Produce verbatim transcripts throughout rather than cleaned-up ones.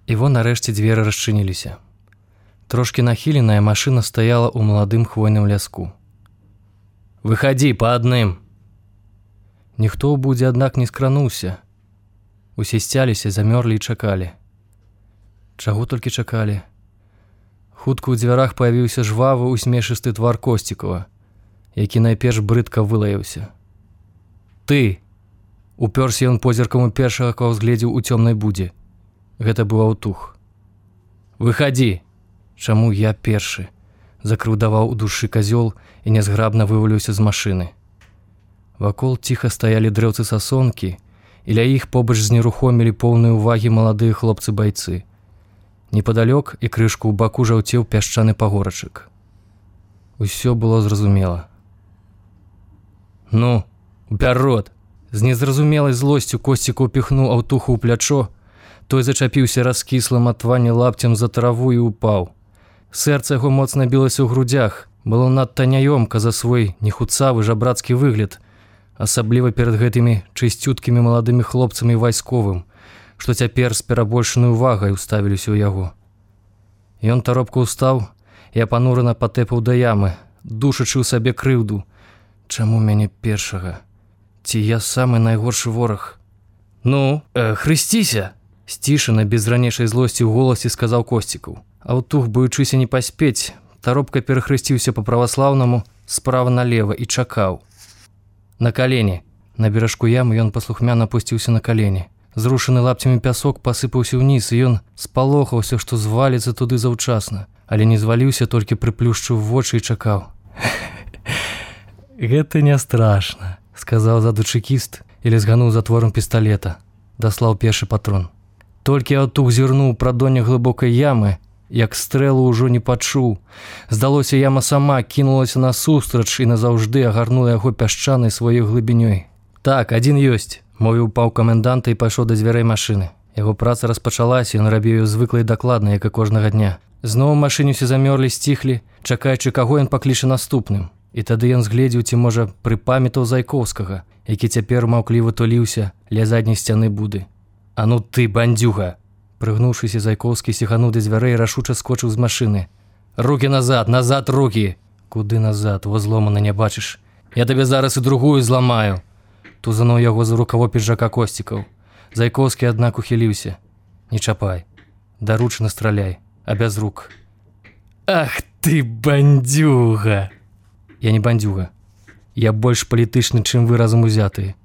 І вон нарэшце дзверы расчыніліся. Трошкі нахіленая машына стаяла ў маладым хвойным ляску. «Выходи по адным!» Ніхто ў будзе, аднак, не скрануўся. Усе сцяліся, замёрлі і чакалі. Чаго толькі чакалі? Хутка ў дзвярах паявіўся жвавы, усмешысты твар Косцікава, які найперш брыдка вылаяўся. «Ты!» Упёрся ён позіркам у першага, кого згледзеў у цёмнай будзе. Гэта быў Аўтух. «Выходи!» «Чаму я першы?» Закрыўдаваў у душы казёл і нязграбна вываліўся з машыны. Вакол ціха стаялі дрэўцы сасонкі, і ля іх побач знерухомілі поўныя ўвагі маладыя хлопцы-байцы. Непадалёк і крышку ў баку жаўцеў пясчаны пагорачак. Усё было зразумела. «Ну, уперед!» З незразумелай злосцю Косцік упіхнуў Аўтуху ў плячо, той зачапіўся раскіслым ад твані лапцем за траву і упаў. Сэрца яго моцна білася ў грудях, было надта няёмка за свой нехуцавы жабрацкі выгляд, асабліва перад гэтымі чысцюткімі маладымі хлопцамі вайсковым, што цяпер з перабольшанай увагай уставіліся ў яго. Ён таропка ўстаў і апанурана патэпаў да ямы, душачы ў сабе крыўду. Чаму мяне першага? Ці я самы найгоршы вораг? «Ну, э, хрысціся!» Сцішана, без ранейшай злосці ў голасе сказаў Косцікаў. Аўтух, боючыся не паспець, таропка перахрысціўся па-праваслаўнаму справа налева і чакаў. «На калені!» На беражку ямы ён паслухмяна апусціўся на калені. Зрушаны лапцямі пясок пасыпаўся ўніз, і ён спалохаўся, што зваліцца туды заўчасна, але не зваліўся, толькі прыплюшчыў вочы і чакаў. «Гэта не страшна», — сказаў ззаду чэкіст і лезгануў затворам пісталета. Даслаў першы патрон. Толькі Аўтух зірнуў прадонне глыбокай ямы, як стрэлу ўжо не пачуў. Здалося, яма сама кінулася насустрач і назаўжды агарнула яго пясчанай сваёй глыбінёй. «Так, адзін ёсць», — мовіў паў каменданта і пайшоў да дзвярэй машыны. Яго праца распачалася, ён рабіў ёй звыкла і дакладна, як і кожнага дня. Зноў у машыне ўсе замёрлі, сціхлі, чакаючы, каго ён пакліча наступным. І тады ён згледзеў, ці, можа, прыпамятаў Зайкоўскага, які цяпер маўкліва туліўся ля задняй сцяны буды. «А ну ты, бандзюга!» Прыгнуўшыся, Зайкоўскі сігануў да дзвярэй і рашуча скочыў з машыны. «Рукі назад, назад рукі!» «Куды назад? Во зломана не бачыш. Я табе зараз і другую зламаю!» Тузануў яго за рукаво піджака Косцікаў. Зайкоўскі, аднак, ухіліўся. «Не чапай. Даручана страляй, а без рук». «Ах ты, бандзюга!» «Я не бандзюга. Я больш палітычны, чым вы разам узятыя».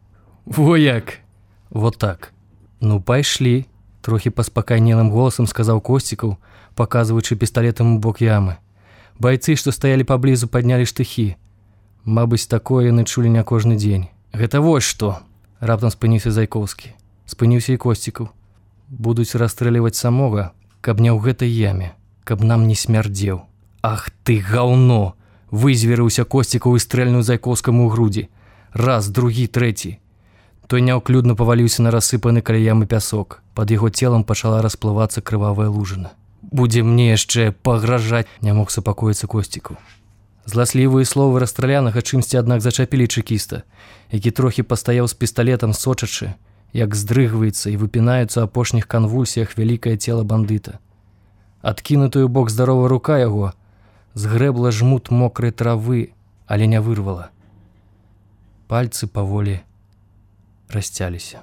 «Во як!» «Вот так». «Ну, пайшлі», — трохі паспакайнелым голасам сказаў Косцікаў, паказваючы пісталетам у бок ямы. Байцы, што стаялі паблізу, паднялі штыхі. Мабыць, такое яны чулі не кожны дзень. «Гэта вось што!» — раптам спыніўся Зайкоўскі. Спыніўся і Косцікаў. «Будуць расстрэліваць самога, каб не ў гэтай яме, каб нам не смярдзеў». «Ах ты, гаўно!» — вызверыўся Косцікаў і стрэльнуў Зайкоўскаму ў грудзі. Раз, другі, трэці. Той няўклюдна паваліўся на рассыпаны каля ямы пясок. Пад яго целам пачала расплывацца крывавая лужына. «Будзе мне яшчэ пагражаць!» — не мог супакоіцца Косцікаў. Зласлівыя словы расстралянага чымсьці, аднак, зачапілі чэкіста, які трохі пастаяў з пісталетам, сочачы, як здрыгваецца і выпінаюцца ў апошніх канвульсіях вялікае цела бандыта. Адкінутую бок здаровая рука яго згрэбла жмут мокрай травы, але не вырвала. Пальцы паволі расцяліся.